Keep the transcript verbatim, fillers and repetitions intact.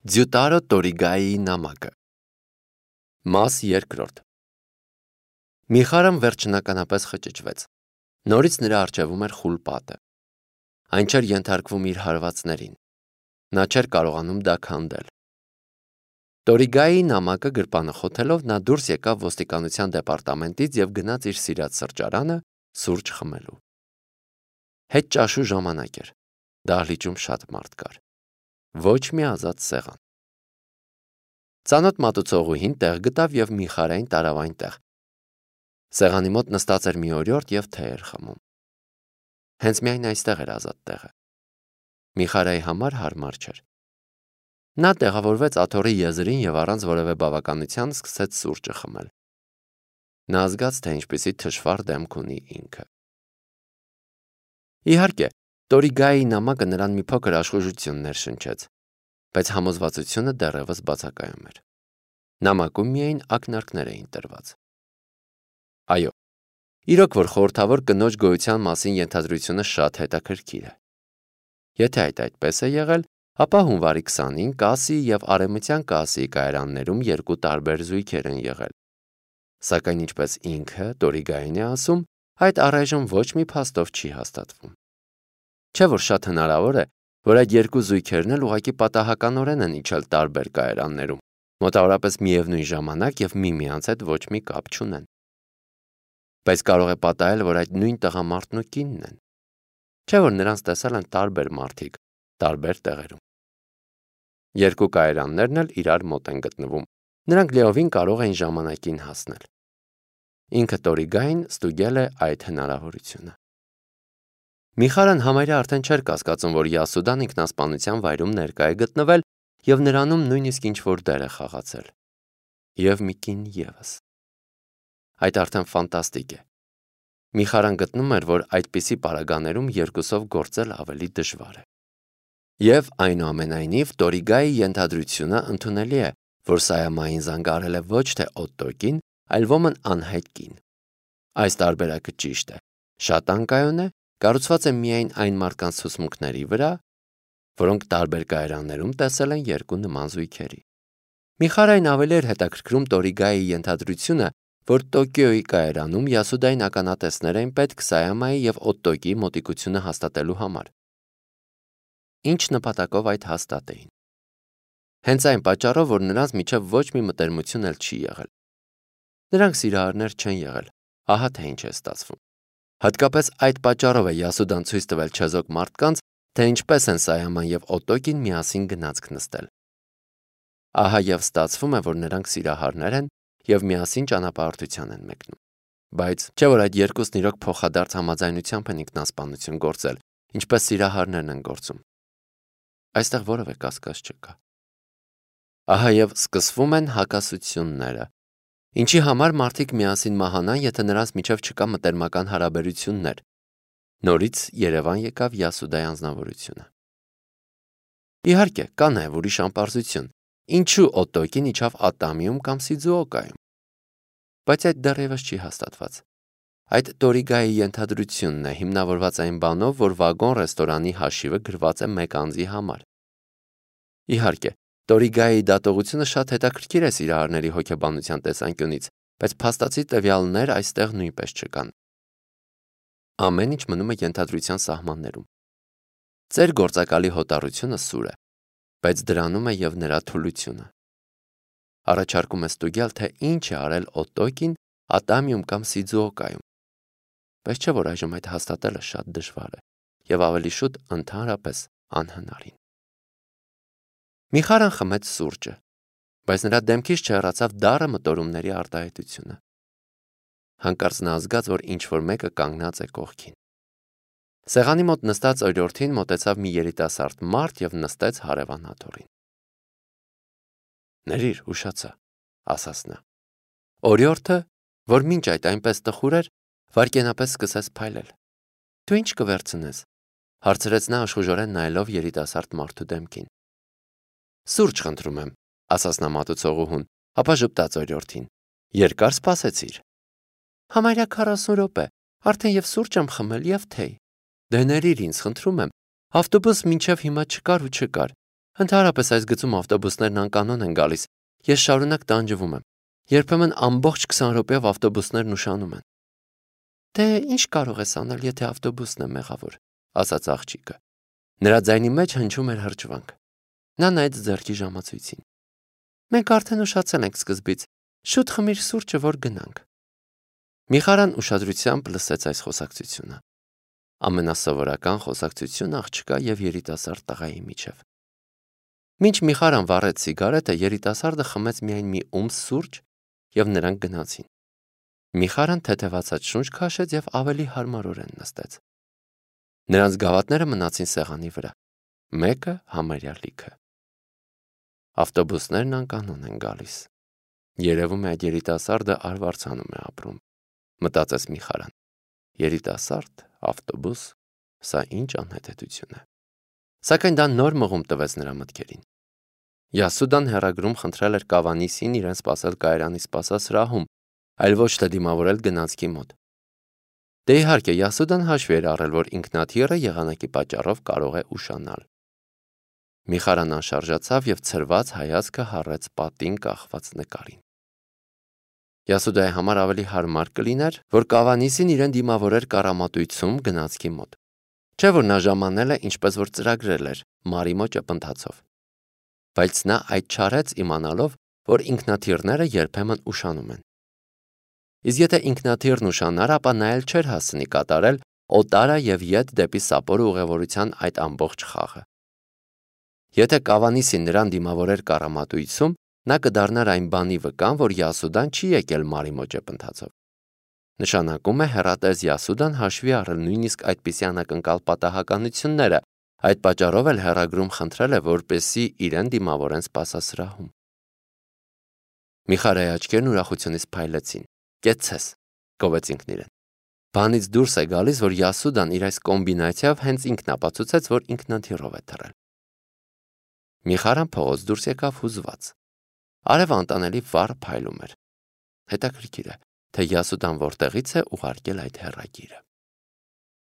Ձյուտարո Տորիգայի նամակը Մաս երկրորդ Միխարան վերջնականապես խճճվեց. նորից նրա առջևում էր խուլ պատը. այն չէր ենթարկվում իր հարվածներին, նա չէր կարողանում դա քանդել։ Տորիգայի նամակը գրպանը խոթելով նա դուրս եկավ ոստիկանության դեպարտամենտից և գնաց իր սիրած սրճարանը սուրճ խմելու։ Հետ ճաշու ժամանակ էր, դահլիճում շատ մարդ կար, ոչ մի ազատ սեղան։ Ծանոթ մատուցողուհին տեղ գտավ և Միխարային տարավ այնտեղ։ Սեղանի մոտ նստած էր մի օրիորդ և թեյ էր խմում։ Հենց միայն այստեղ էր ազատ տեղը։ Միխարայի համար հարմար չէր։ Նա տեղավորվեց աթոռի եզրին և առանց որևէ բավականության սկսեց սուրճը խմել։ Նա զգաց, թե ինչպիսի թշվառ դեմք ունի ինքը։ Իհարկե, Տորիգայի նամակը նրան մի փոքր աշխուժություն ներշնչեց, բայց համոզվածությունը դեռևս բացակայում էր։ Նամակում միայն ակնարկներ էին տրված։ Այո, իրոք որ խորհրդավոր կնոջ գոյության մասին ենթադրությունը շատ հետաքրքիր է։ Եթե այդ այդպես է եղել, ապա հունվարի քսանին Կասի և Արևմտյան Կասիի կայարաններում երկու տարբեր զույգեր են եղել։ Սակայն ինչպես ինքը Տորիգային է ասում, այդ առայժմ ոչ մի փաստով չի հաստատվում։ Չէ՞ որ շատ հնարավոր է, որ այդ երկու զույգերն էլ ուղղակի պատահականորեն են իջել տարբեր կայարաններում, մոտավորապես միևնույն ժամանակ և միմյանց հետ ոչ մի կապ չունեն։ Բայց կարող է պատահել, որ այդ նույն տղամարդն ու կինն են։ Չէ՞ որ նրանց տեսել են տարբեր մարդիկ, տարբեր տեղերում։ Երկու կայարաններն էլ իրար մոտ են գտնվում, նրանք լիովին կարող էին ժամանակին հասնել։ Ինքը Տորիգային ստուգել է այդ հնարավորությունը։ Միխարան համարյա արդեն չէր կասկածում, որ Յասուդան ինքնասպանության վայրում ներկա է գտնվել և նրանում նույնիսկ ինչ-որ դեր է խաղացել։ Եվ մի կին ևս։ Այդ արդեն ֆանտաստիկ է։ Միխարան գտնում էր, որ այդպիսի պարագաներում երկուսով գործել ավելի դժվար է։ Եվ այնուամենայնիվ Տորիգայի ենթադրությունը ընդունելի է, որ Սայամային զանգարել է ոչ թե Օտտոկին, այլ ոմն անհայտ կին։ Այս տարբերակը ճիշտ է, շատ անկայուն է, կառուցված է միայն այն մարդկանց հուսմունքների վրա, որոնք տարբեր կայարաններում տեսել են երկու նման զույգերի։ Միխարային ավելի էր հետաքրքրում Տորիգայի ենթադրությունը, որ Տոկիոյի կայարանում Յասուդային ականատեսներ էին պետք Սայամայի և Օտտոկիի մոտիկությունը հաստատելու համար։ Ինչ նպատակով այդ հաստատեին։ Հենց այն պատճառով, որ նրանց միջև ոչ մի մտերմություն էլ չի եղել։ Նրանք սիրահարներ չեն եղել, ահա թե ինչ է ստացվում։ Հատկապես այդ պատճառով է Յասուդան ցույց տվել չեզոք մարդկանց, թե ինչպես են Սայաման և Օտտոկին միասին գնացք նստել։ Ահա և ստացվում է, որ նրանք սիրահարներ են և միասին ճանապարհորդության են մեկնում։ Բայց չէ՞ որ այդ երկուսն իրոք փոխադարձ համաձայնությամբ են ինքնասպանություն գործել, ինչպես սիրահարներն են գործում։ Այստեղ որևէ կասկած չկա։ Ահա և սկսվում են հակասությունները։ Ինչի համար մարդիկ միասին մահանան, եթե նրանց միջև չկա մտերմական հարաբերություններ։ Նորից Երևան եկավ Յասուդայի անձնավորությունը։ Իհարկե, կա նաև ուրիշ անպարզություն. ինչու Օտտոկին իջավ Ատամիում կամ Սիձուոկայում։ Բայց այդ դեռևս չի հաստատված։ Այդ Տորիգայի ենթադրությունն է, հիմնավորված այն բանով, որ վագոն ռեստորանի հաշիվը գրված է մեկ անձի համար։ Իհարկե, Տորիգայի դատողությունը շատ հետաքրքիր է սիրահարների հոգեբանության տեսանկյունից, բայց փաստացի տվյալներ այստեղ նույնպես չկան։ Ամեն ինչ մնում է ենթադրության սահմաններում։ Ձեր գործակալի հոտառությունը սուր է, բայց դրանում է և նրա թուլությունը։ Առաջարկում է ստուգել, թե ինչ է արել Օտտոկին Ատամիում կամ Սիձուոկայում։ Բայց չէ՞ որ այժմ այդ հաստատելը շատ դժվար է և ավելի շուտ ընդհանրապես անհնարին։ Միխարան խմեց սուրճը, բայց նրա դեմքից չհեռացավ դառը մտորումների արտահայտությունը։ Հանկարծ նա զգաց, որ ինչ-որ մեկը կանգնած է կողքին։ Սեղանի մոտ նստած օրիորդին մոտեցավ մի երիտասարդ մարդ և նստեց հարևան աթոռին։ «Ներիր, ուշացա», ասաց նա։ Օրիորդը, որ մինչ այդ այնպես տխուր էր, վայրկենապես սկսեց փայլել։ «Դու ի՞նչ կվերցնես», հարցրեց նա աշխուժորեն նայելով երիտասարդ մարդու դեմքին։ «Սուրճ խնդրում եմ», ասաց նա մատուցողուհուն, ապա ժպտաց օրիորդին։ «Երկար սպասեցիր»։ «Համարյա քառասուն րոպե, արդեն և սուրճ եմ խմել, և թեյ»։ «Դե ներիր ինձ, խնդրում եմ, ավտոբուս մինչև հիմա չկար ու չկար։ Ընդհանրապես այս գծում ավտոբուսներն անկանոն են գալիս, ես շարունակ տանջվում եմ, երբեմն ամբողջ քսան րոպեով ավտոբուսներն ուշանում են։ Դե ինչ կարող ես անել, եթե ավտոբուսն է մեղավոր, ասաց աղջիկը։ Նրա ձայնի մեջ հնչում էր հրճվանք։ Նա նայեց ձեռքի ժամացույցին։ Մենք արդեն ուշացել ենք սկզբից, շուտ խմիր սուրճը, որ գնանք։ Միխարան ուշադրությամբ լսեց այս խոսակցությունը։ Ամենասովորական խոսակցություն աղջկա եւ երիտասարդ տղայի միջև։ Մինչ Միխարան վառեց սիգարետը, երիտասարդը խմեց միայն մի ումս սուրճ եւ նրանք գնացին։ Միխարան թեթևացած շունչ քաշեց եւ ավելի հարմարորեն նստեց։ Նրանց գավաթները մնացին սեղանի վրա։ Մեկը համարյա լիքը։ Ավտոբուսներն անկանոն են գալիս։ Երևում է այդ երիտասարդը արվարձանում է ապրում, մտածեց Միխարան։ Երիտասարդ, ավտոբուս, սա ինչ անհետեթություն է։ Սակայն դա նոր մղում տվեց նրա մտքերին։ Յասուդան հեռագրում խնդրել էր Կավանիսին իրեն սպասել կայարանի սպասասրահում, այլ ոչ թե դիմավորել գնացքի մոտ։ Դե իհարկե, Յասուդան հաշվի էր առել, որ ինքնաթիռը եղանակի պատճառով կարող է ուշանալ։ Միխարան անշարժացավ եւ ցրված հայացքը հառեց պատին կախված նկարին։ Յասուդայի համար ավելի հարմար կլիներ, որ Կավանիսին իրեն դիմավորեր կառամատույցում գնացքի մոտ։ Չէ՞ որ նա ժամանել է, ինչպես որ ծրագրել էր, Մարիմո ճպընթացով։ Բայց նա այդ չարեց իմանալով, որ ինքնաթիռները երբեմն ուշանում են։ Իսկ եթե ինքնաթիռն ուշանար, ապա նա էլ չէր հասցնի կատարել օտարը եւ ետ դեպի Սապորո ուղևորության այդ ամբողջ խաղը։ Եթե Կավանիսին նրան դիմավորեր կառամատույցում, նա կդառնար այն բանի վկան, որ Յասուդան չի եկել Մարիմո ճպընթացով։ Նշանակում է հեռատես Յասուդան հաշվի առել նույնիսկ այդպիսի անակնկալ պատահականությունները, այդ պատճառով էլ հեռագրում խնդրել է, որպեսզի իրեն դիմավորեն սպասասրահում։ Միխարայի աչքերն ուրախությունից փայլեցին։ Կեցցես, գովեց ինքն իրեն։ Բանից դուրս է գալիս, որ Յասուդան իր այս կոմբինացիայով հենց ինքն ապացուցեց, որ ինքնաթիռով է թռել։ Միխարան փողոց դուրս եկավ հուզված։ Արևը անտանելի վառ փայլում էր։ Հետաքրքիր է, թե Յասուդան որտեղից է ուղարկել այդ հեռագիրը։